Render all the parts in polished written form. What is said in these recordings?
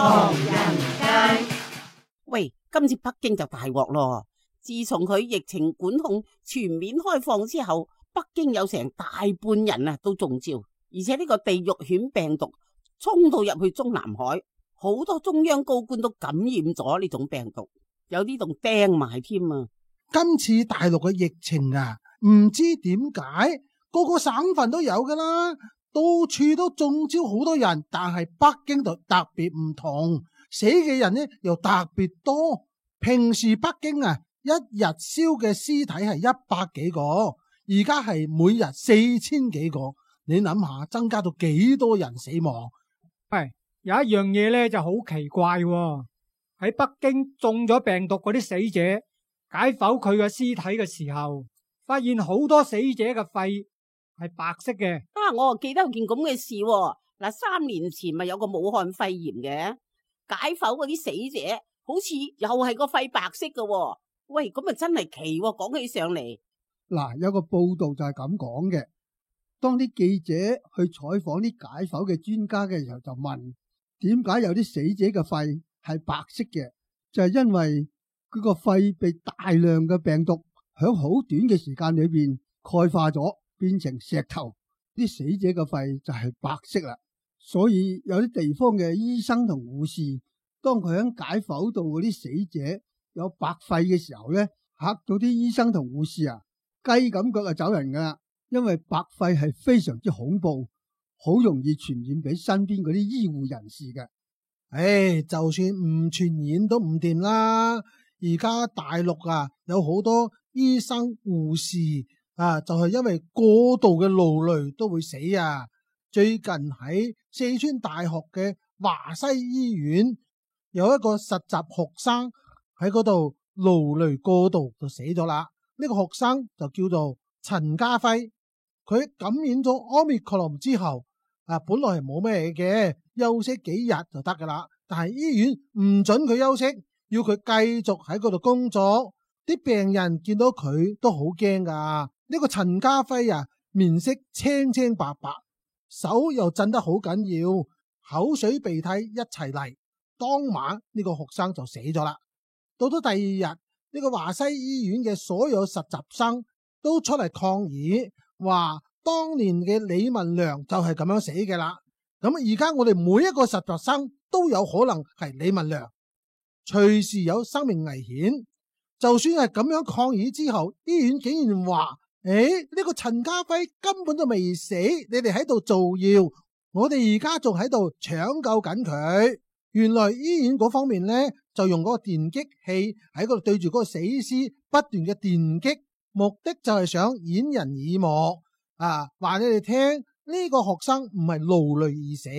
唐人街。喂，今次北京就大鑊咯！自從佢疫情管控全面開放之後，北京有成大半人啊都中招，而且呢個地獄犬病毒衝到入去中南海，好多中央高官都感染咗呢種病毒，有啲仲釘埋添啊！今次大陸嘅疫情啊，唔知點解個個省份都有噶啦，到處都中招好多人，但係北京就特別唔同，死嘅人呢又特別多。平時北京啊，一日燒嘅屍體係100幾個，而家係每日4000幾個，你諗下增加到幾多人死亡？喂，有一樣嘢咧就好奇怪喎，喺北京中咗病毒嗰啲死者解剖佢嘅屍體嘅時候，發現好多死者嘅肺係白色嘅。我啊記得有件咁嘅事喎。嗱，3年前咪有個武漢肺炎嘅，解剖嗰啲死者好似又係個肺白色嘅喎。喂，咁啊真係奇喎，講起上嚟。嗱，有個報道就係咁講嘅，當啲記者去採訪啲解剖嘅專家嘅時候，就問點解有啲死者嘅肺係白色嘅，就係因為佢個肺被大量嘅病毒響好短嘅時間裏邊鈣化咗，變成石頭，啲死者嘅肺就係白色啦。所以有啲地方嘅醫生同護士，當佢喺解剖到嗰啲死者有白肺嘅時候咧，嚇到啲醫生同護士啊，雞咁腳就走人噶啦，因為白肺係非常之恐怖，好容易傳染俾身邊嗰啲醫護人士嘅。就算唔傳染都唔掂啦。而家大陸啊，有好多醫生護士啊，就係因為過度嘅勞累都會死啊。最近喺四川大學嘅華西醫院，有一個實習學生喺嗰度勞累過度就死咗啦。呢個學生就叫做陳家輝，佢感染咗 Omicron 之後啊，本來係冇咩嘅，休息幾日就得噶啦。但係醫院唔准佢休息，要佢繼續喺嗰度工作。啲病人見到佢都好驚噶。呢個陳家輝啊，面色青青白白，手又震得好緊要，口水鼻涕一齊嚟。當晚呢個學生就死咗啦。到咗第二日，呢個華西醫院嘅所有實習生都出嚟抗議，話當年嘅李文良就係咁樣死嘅啦。咁而家我哋每一個實習生都有可能係李文良，隨時有生命危險。就算係咁樣抗議之後，醫院竟然話：呢個陳家輝根本就未死，你哋喺度造謠，我哋而家仲喺度搶救緊佢。原來醫院嗰方面呢，就用嗰個電擊器喺嗰度對住嗰個死屍不斷嘅電擊，目的就係想掩人耳目啊！話你哋聽，呢個學生唔係勞累而死，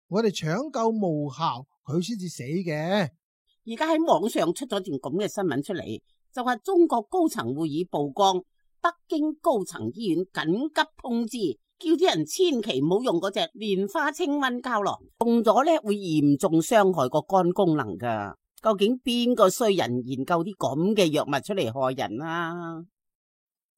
我哋搶救無效，佢先至死嘅。而家喺網上出咗段咁嘅新聞出嚟，就話中國高層會議曝光北京高層醫院緊急通知，叫啲人千祈唔好用嗰隻蓮花清瘟膠囊，用咗咧會嚴重傷害個肝功能噶。究竟邊個衰人研究啲咁嘅藥物出嚟害人啊？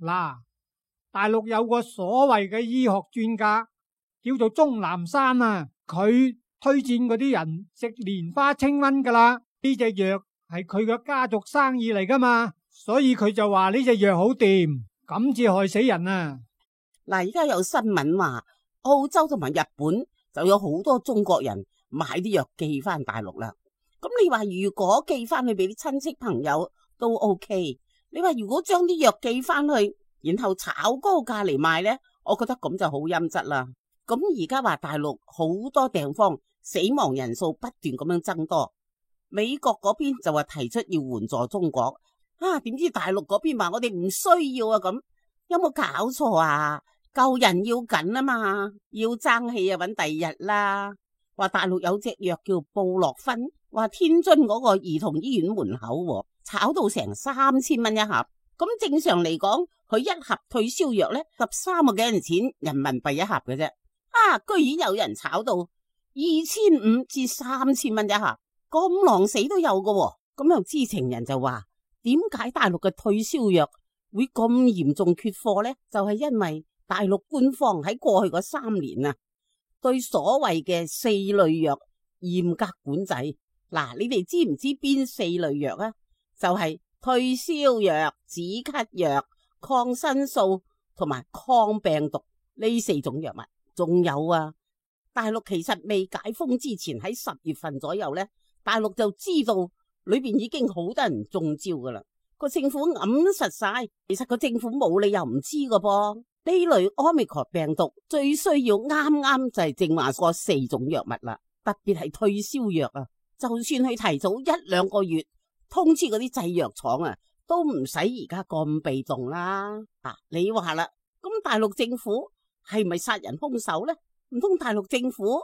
嗱，大陸有個所謂嘅醫學專家叫做鍾南山啊，佢推薦嗰啲人食蓮花清瘟噶啦。呢隻藥係佢嘅家族生意嚟噶嘛，所以佢就話呢隻藥好掂，咁至害死人啊！嗱，而家有新聞話澳洲同埋日本就有好多中國人買啲藥寄翻大陸啦。咁你話如果寄翻去俾啲親戚朋友都 OK， 你話如果將啲藥寄翻去，然後炒高價嚟賣呢，我覺得咁就好陰質啦。咁而家話大陸好多地方死亡人數不斷咁樣增多。美國嗰邊就話提出要援助中國，點知大陸嗰邊話我哋唔需要啊，咁有冇搞錯啊？救人要緊啊嘛，要爭氣啊搵第二日啦。話大陸有隻藥叫布洛芬，話天津嗰個兒童醫院門口炒到成3000蚊一盒，咁正常嚟講佢一盒退燒藥呢13個幾銀錢人民幣一盒嘅啫，居然有人炒到2500至3000蚊一盒。咁狼死都有嘅，咁有知情人就話，點解大陸嘅退燒藥會咁嚴重缺貨呢？就係因為大陸官方喺過去嗰3年啊，對所謂嘅4類藥嚴格管制。嗱，你哋知唔知邊4類藥啊？就係退燒藥、止咳藥、抗生素同埋抗病毒呢4種藥物。仲有啊，大陸其實未解封之前喺10月份左右呢，大陸就知道裏邊已經好多人中招噶啦。個政府揞實晒，其實個政府冇理由唔知噶噃。呢類 Omicron 病毒最需要啱啱就係正話嗰4種藥物啦，特別係退燒藥啊。就算佢提早1-2個月通知嗰啲製藥廠啊，都唔使而家咁被動啦。你話啦，咁大陸政府係咪殺人兇手呢？唔通大陸政府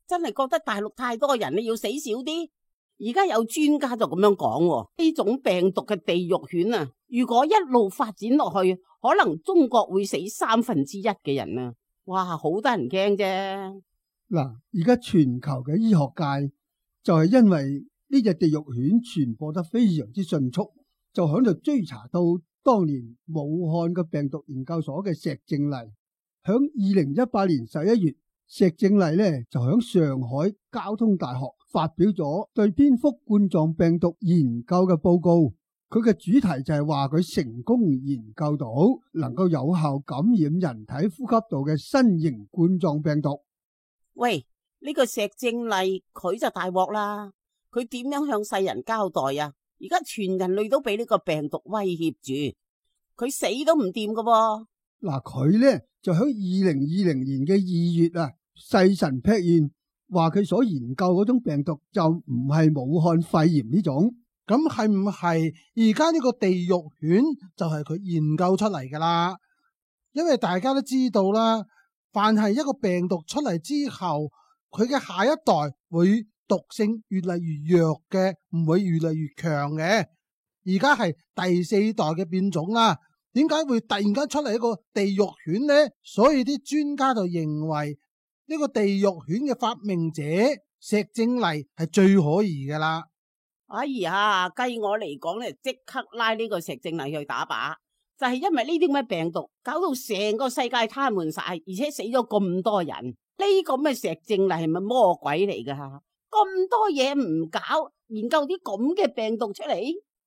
真係覺得大陸太多人，你要死少啲？而家有專家就咁樣講，呢種病毒嘅地獄犬啊，如果一路發展落去，可能中國會死1/3嘅人啊！哇，好得人驚啫。嗱，而家全球嘅醫學界就係因為呢隻地獄犬傳播得非常之迅速，就響度追查到當年武漢嘅病毒研究所嘅石正麗。響2018年11月，石正麗呢就響上海交通大學發表咗對蝙蝠冠狀病毒研究嘅報告。佢嘅主題就係話佢成功研究到能夠有效感染人體呼吸道嘅新型冠狀病毒。喂，呢個石正麗佢就大鑊啦！佢點樣向世人交代啊？而家全人類都俾呢個病毒威脅住，佢死都唔掂噶噃。嗱，佢呢就喺2020年嘅2月啊，細神劈現話佢所研究嗰種病毒就唔係武漢肺炎呢種。咁係唔係而家呢個地獄犬就係佢研究出嚟噶啦？因為大家都知道啦，凡係一個病毒出嚟之後，佢嘅下一代會毒性越嚟越弱嘅，唔會越嚟越強嘅。而家係第4代嘅變種啦，點解會突然間出嚟一個地獄犬呢？所以啲專家就認為呢個地獄犬嘅發明者石正麗係最可疑噶啦。哎呀，計我嚟講咧，即刻拉呢個石正麗去打靶，就係因為呢啲咁嘅病毒搞到成個世界癱瘓晒，而且死咗咁多人。呢個咩石正麗係咪魔鬼嚟噶？咁多嘢唔搞，研究啲咁嘅病毒出嚟？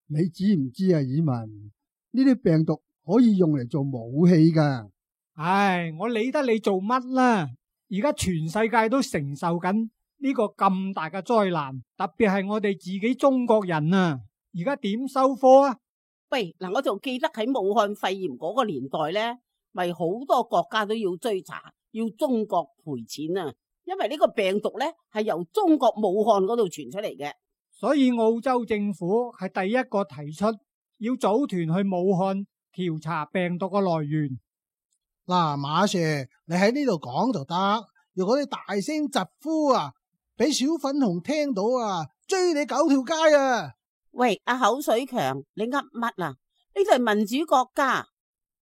你知唔知啊，以文？呢啲病毒可以用嚟做武器噶。唉，我理得你做乜啦？而家全世界都承受緊呢個咁大嘅災難，特別係我哋自己中國人啊，而家點收科啊？喂，嗱，我就記得喺武漢肺炎嗰個年代呢，咪好多國家都要追查，要中國賠錢啊，因為呢個病毒呢係由中國武漢嗰度傳出嚟嘅。所以澳洲政府係第一個提出要組團去武漢調查病毒嘅來源。嗱，馬 Sir， 你喺呢度講就得，如果你大聲疾呼啊，俾小粉紅聽到啊，追你9條街啊！喂，阿口水強，你噏乜啊？呢度係民主國家，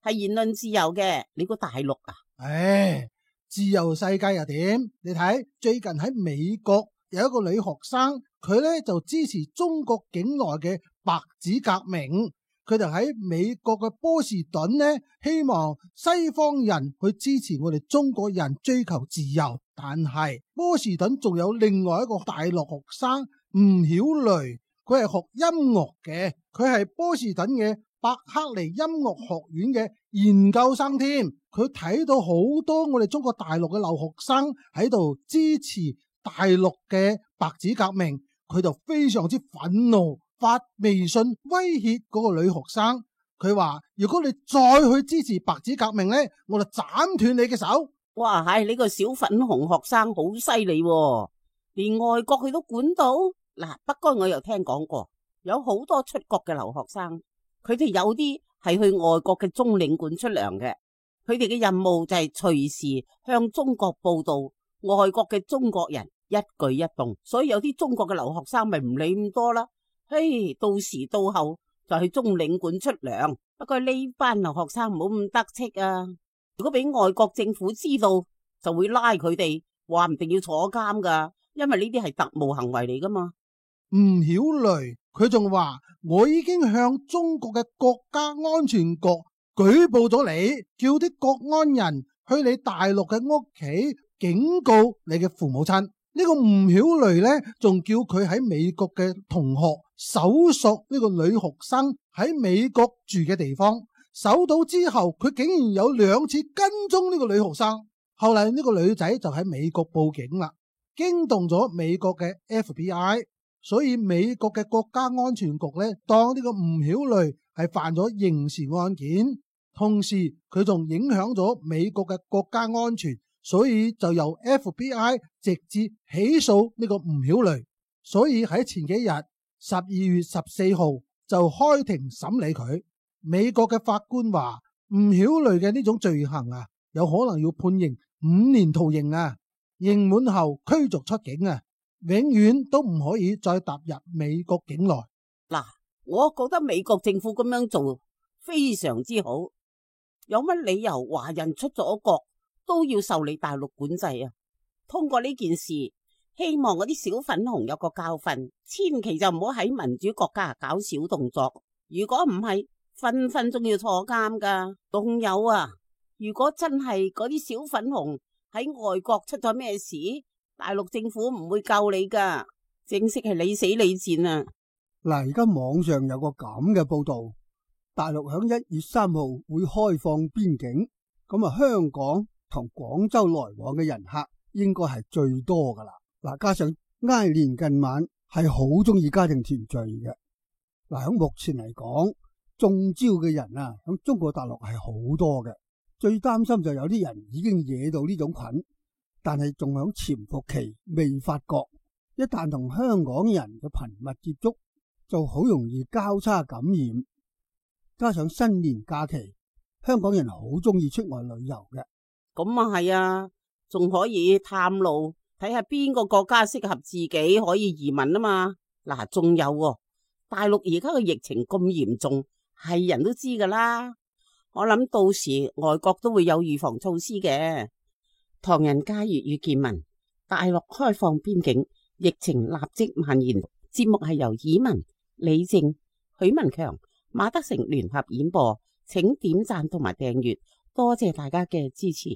係言論自由嘅，你估大陸啊？唉，自由世界又點？你睇最近喺美國有一個女學生，佢呢就支持中國境內嘅白紙革命，佢就喺美國嘅波士頓呢，希望西方人去支持我哋中國人追求自由。但係波士頓仲有另外一個大陸學生吳曉雷，佢係學音樂嘅，佢係波士頓嘅伯克利音樂學院嘅研究生添。佢睇到好多我哋中國大陸嘅留學生喺度支持大陸嘅白紙革命，佢就非常之憤怒，發微信威脅嗰個女學生。佢話如果你再去支持白紙革命呢，我就斬斷你嘅手。哇，係呢個小粉紅學生好犀利，連外國佢都管到。嗱，不過我又聽講過，有好多出國嘅留學生，佢哋有啲係去外國嘅中領館出糧嘅，佢哋嘅任務就係隨時向中國報道外國嘅中國人一舉一動，所以有啲中國嘅留學生咪唔理咁多啦。嘿，到時到後就去中領館出糧。不過呢班留學生唔好咁得戚啊！如果俾外國政府知道，就會拉佢哋，話唔定要坐監噶，因為呢啲係特務行為嚟噶嘛。吳曉雷佢仲話：我已經向中國嘅國家安全局舉報咗你，叫啲國安人去你大陸嘅屋企警告你嘅父母親。呢個吳曉雷呢，仲叫佢喺美國嘅同學搜索呢個女學生喺美國住嘅地方，搜到之後，佢竟然有2次跟蹤呢個女學生。後嚟呢個女仔就喺美國報警啦，驚動咗美國嘅 FBI， 所以美國嘅國家安全局呢，當呢個吳曉雷係犯咗刑事案件，同時佢仲影響咗美國嘅國家安全，所以就由 FBI 直接起訴呢個吳曉雷。所以喺前幾日12月14號就開庭審理佢。美國嘅法官話吳曉雷嘅呢種罪行啊，有可能要判刑5年徒刑啊，刑滿後驅逐出境啊，永遠都唔可以再踏入美國境內。嗱，我覺得美國政府咁樣做非常之好，有乜理由華人出咗國都要受你大陸管制啊？通過呢件事，希望嗰啲小粉紅有個教訓，千祈就唔好喺民主國家搞小動作。如果唔係，分分鐘要坐監噶。仲有啊，如果真係嗰啲小粉紅喺外國出咗咩事，大陸政府唔會救你噶，正式係你死你戰啊！嗱，而家網上有個咁嘅報道，大陸響1月3號會開放邊境，咁啊香港同廣州來往嘅人客應該係最多噶啦。嗱，加上挨年近晚係好中意家庭團聚嘅。嗱，響目前嚟講，中招嘅人啊，響中國大陸係好多嘅。最擔心就有啲人已經惹到呢種菌，但係仲響潛伏期未發覺，一旦同香港人嘅頻密接觸，就好容易交叉感染。加上新年假期，香港人好中意出外旅遊嘅。咁啊係啊，仲可以探路，睇下邊個國家適合自己可以移民啊嘛。嗱，仲有喎，大陸而家嘅疫情咁嚴重，係人都知噶啦。我諗到時外國都會有預防措施嘅。唐人街粵語見聞，大陸開放邊境，疫情立即蔓延。節目係由以文、李正、許文強、馬德成聯合演播，請點讚同埋訂閱，多謝大家嘅支持。